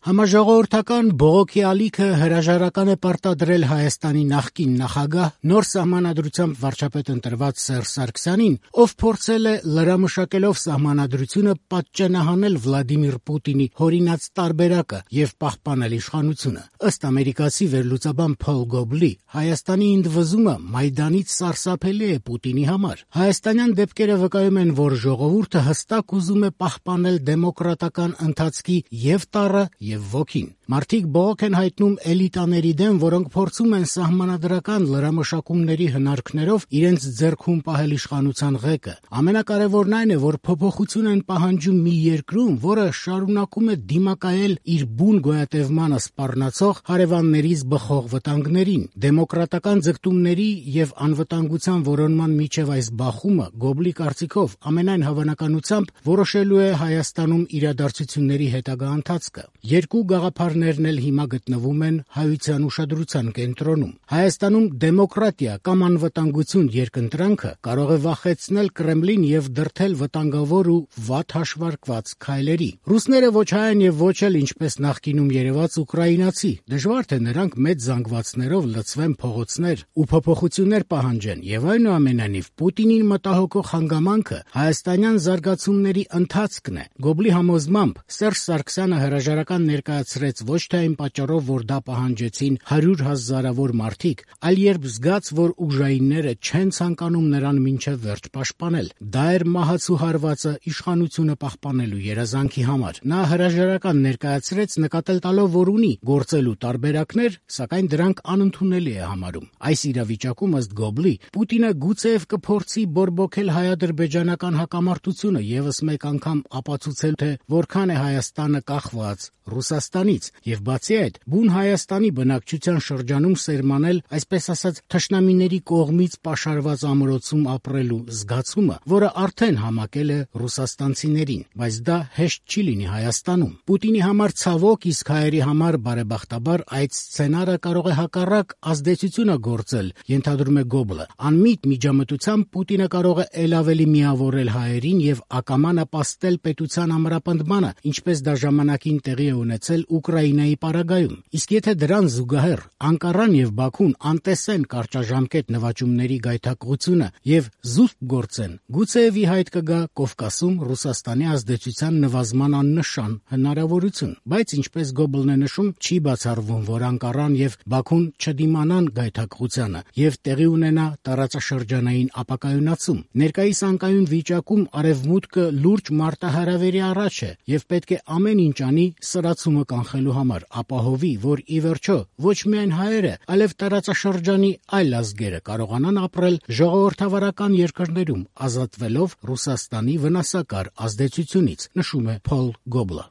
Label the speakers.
Speaker 1: Համաժողովրդական բողոքի ալիքը հրաժարական է պարտադրել Հայաստանի նախկին նախագահ, նոր սահմանադրությամբ վարչապետ ընտրված Սերժ Սարգսյանին, ով փորձել է լրամշակելով սահմանադրությունը պատճենահանել Վլադիմիր Պուտինի հորինած տարբերակը եւ պահպանել իշխանությունը։ Ըստ ամերիկացի վերլուծաբան Փոլ Գոբլի, Հայաստանի ընդվզումը Մայդանից սարսափելի է Պուտինի համար։ Հայաստանյան դեպքերը վկայում են, որ ժողովուրդը հստակ ուզում է պահպանել դեմոկրատական ընթացքի եւ տառը եւ ոգին։ Մարդիկ բողոք են հայտնում էլիտաների դեմ, որոնք փորձում են սահմանադրական լրամշակումների հնարքներով իրենց ձեռքում պահել իշխանության ղեկը։ Ամենակարևորն այն է, որ փոփոխություն են պահանջում մի երկրում, որը շարունակում է դիմակայել իր բուն գոյատևմանը սպառնացող հարևաններից բխող վտանգներին։ Դեմոկրատական ձգտումների եւ անվտանգության որոնման միջև այս բախումը, Գոբլի կարծիքով, ամենայն հավանականությամբ որոշելու է Հայաստանում իրադարձությունների հետագա ընթացքը։ Երկու գաղափարներն էլ հիմա գտնվում են հայության ուշադրության կենտրոնում։ Հայաստանում դեմոկրատիա կամ անվտանգություն երկընտրանքը կարող է վախեցնել Կրեմլին եւ դրդել վտանգավոր ու վատ հաշվարկված քայլերի։ Ռուսները ոչ հայ են եւ ոչ էլ ինչպես նախկինում երևաց ուկրաինացի։ Դժվար թե նրանք մեծ զանգվածներով լցվեն փողոցներ ու փոփոխություններ պահանջեն, եւ այնուամենայնիվ Պուտինին մտահոգող հանգամանքը հայաստանյան զարգացումների ընթացքն է։ Գոբլի համոզմամբ Սերժ Սարգսյանը հրաժարական ներկայացրեց ոչ թե այն պատճառով, որ դա պահանջեցին 100 հազարավոր մարդիկ, այլ երբ զգաց, որ ուժայինները չեն ցանկանում նրան մինչև վերջ պաշտպանել։ Դա էր մահացու հարվածը իշխանությունը պահպանելու երազանքի համար։ Նա հրաժարական ներկայացրեց նկատել տալով, որ ունի գործելու տարբերակներ, սակայն դրանք անընդունելի է համարում։ Այս իրավիճակում, ըստ Գոբլի, Պուտինը գուցեև կփորձի բորբոքել հայ-ադրբեջանական հակամարտությունը եւս մեկ անգամ ապացուցել, թե որքան է Հայաստանը կախված Ռուսաստանից, եւ բացի այդ, բուն Հայաստանի բնակչության շրջանում սերմանել, այսպես ասած, թշնամիների կողմից պաշարված ամրոցում ապրելու զգացումը, որը արդեն համակել է ռուսաստանցիներին, բայց դա հեշտ չի լինի Հայաստանում։ Պուտինի համար ցավոք, իսկ հայերի համար բարեբախտաբար այդ սցենարը կարող է հակառակ ազդեցությունը գործել, ենթադրում է Գոբլը։ Անմիտ միջամտությամբ Պուտինը կարող է ել ավելի միավորել հայերին եւ ակամա նպաստել պետության ամրապնդմանը, ինչպես դա ժամանակին տեղի է ունեցել Ուկրաինայի պարագայում։ Իսկ եթե դրան զուգահեռ Անկարան եւ Բաքուն անտեսեն կարճաժամկետ նվաճումների գայթակղությունը եւ զուսպ գործեն, գուցեև ի հայտ կգա Կովկասում Ռուսաստանի ազդեցության նվազման աննշան հնարավորություն, բայց ինչպես Գոբլն է նշում, չի բացառվում, որ Անկարան եւ Բաքուն չդիմանան գայթակղությանը եւ տեղի ունենա տարածաշրջանային ապակայունացում։ Ներկայիս անկայուն վիճակում Արևմուտքը լուրջ մարտահրավերի առաջ է եւ պետք է ամեն ինչ անի սրացումը կանխելու համար, ապահովի, որ ի վերջո ոչ միայն հայերը, այլև տարածաշրջանի այլ ազգերը կարողանան ապրել ժողովրդավարական երկրներում, ազատվելով Ռուսաստանի վնասակար ազդեցությունից, նշում է Փոլ Գոբլը։